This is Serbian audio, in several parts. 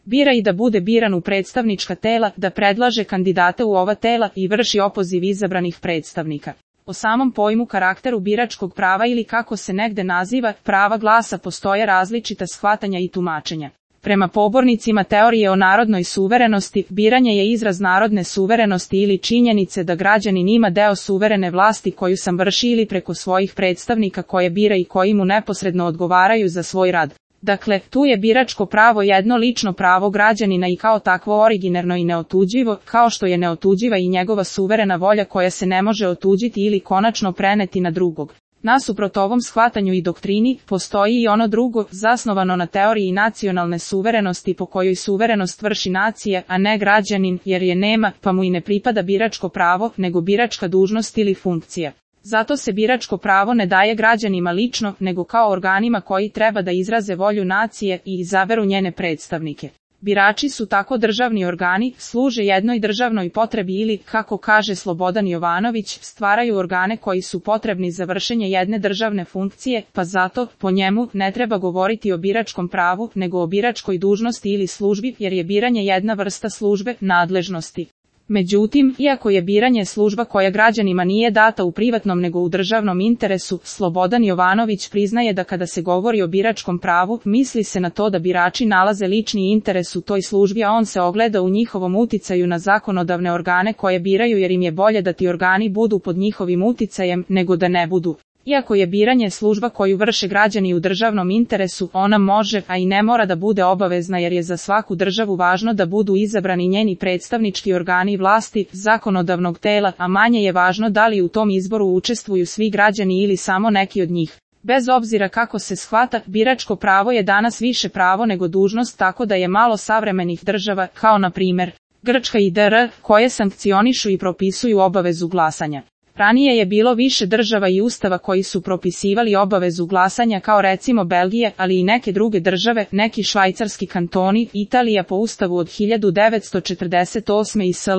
bira i da bude biran u predstavnička tela, da predlaže kandidate u ova tela i vrši opoziv izabranih predstavnika. O samom pojmu karakteru biračkog prava ili kako se negde naziva, prava glasa postoje različita shvatanja i tumačenja. Prema pobornicima teorije o narodnoj suverenosti, biranje je izraz narodne suverenosti ili činjenice da građanin ima deo suverene vlasti koju sam vrši ili preko svojih predstavnika koje bira i koji mu neposredno odgovaraju za svoj rad. Dakle, tu je biračko pravo jedno lično pravo građanina i kao takvo originarno i neotuđivo, kao što je neotuđiva i njegova suverena volja koja se ne može otuđiti ili konačno preneti na drugog. Nasuprot ovom shvatanju i doktrini, postoji i ono drugo, zasnovano na teoriji nacionalne suverenosti po kojoj suverenost vrši nacija, a ne građanin, jer je nema, pa mu i ne pripada biračko pravo, nego biračka dužnost ili funkcija. Zato se biračko pravo ne daje građanima lično, nego kao organima koji treba da izraze volju nacije i izaberu njene predstavnike. Birači su tako državni organi, služe jednoj državnoj potrebi ili, kako kaže Slobodan Jovanović, stvaraju organe koji su potrebni za vršenje jedne državne funkcije, pa zato, po njemu, ne treba govoriti o biračkom pravu, nego o biračkoj dužnosti ili službi, jer je biranje jedna vrsta službe, nadležnosti. Međutim, iako je biranje služba koja građanima nije data u privatnom nego u državnom interesu, Slobodan Jovanović priznaje da kada se govori o biračkom pravu, misli se na to da birači nalaze lični interes u toj službi, a on se ogleda u njihovom uticaju na zakonodavne organe koje biraju jer im je bolje da ti organi budu pod njihovim uticajem, nego da ne budu. Iako je biranje služba koju vrše građani u državnom interesu, ona može, a i ne mora da bude obavezna jer je za svaku državu važno da budu izabrani njeni predstavnički organi vlasti, zakonodavnog tela, a manje je važno da li u tom izboru učestvuju svi građani ili samo neki od njih. Bez obzira kako se shvata, biračko pravo je danas više pravo nego dužnost, tako da je malo savremenih država, kao na primjer Grčka i DR, koje sankcionišu i propisuju obavezu glasanja. Ranije je bilo više država i ustava koji su propisivali obavezu glasanja kao recimo Belgije, ali i neke druge države, neki švajcarski kantoni, Italija po ustavu od 1948. i sl.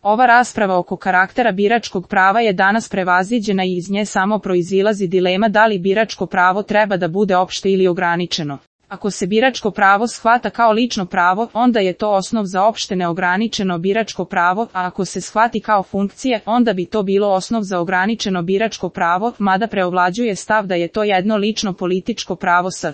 Ova rasprava oko karaktera biračkog prava je danas prevaziđena i iz nje samo proizilazi dilema da li biračko pravo treba da bude opšte ili ograničeno. Ako se biračko pravo shvata kao lično pravo, onda je to osnov za opšte neograničeno biračko pravo, a ako se shvati kao funkcija, onda bi to bilo osnov za ograničeno biračko pravo, mada preovlađuje stav da je to jedno lično političko pravo s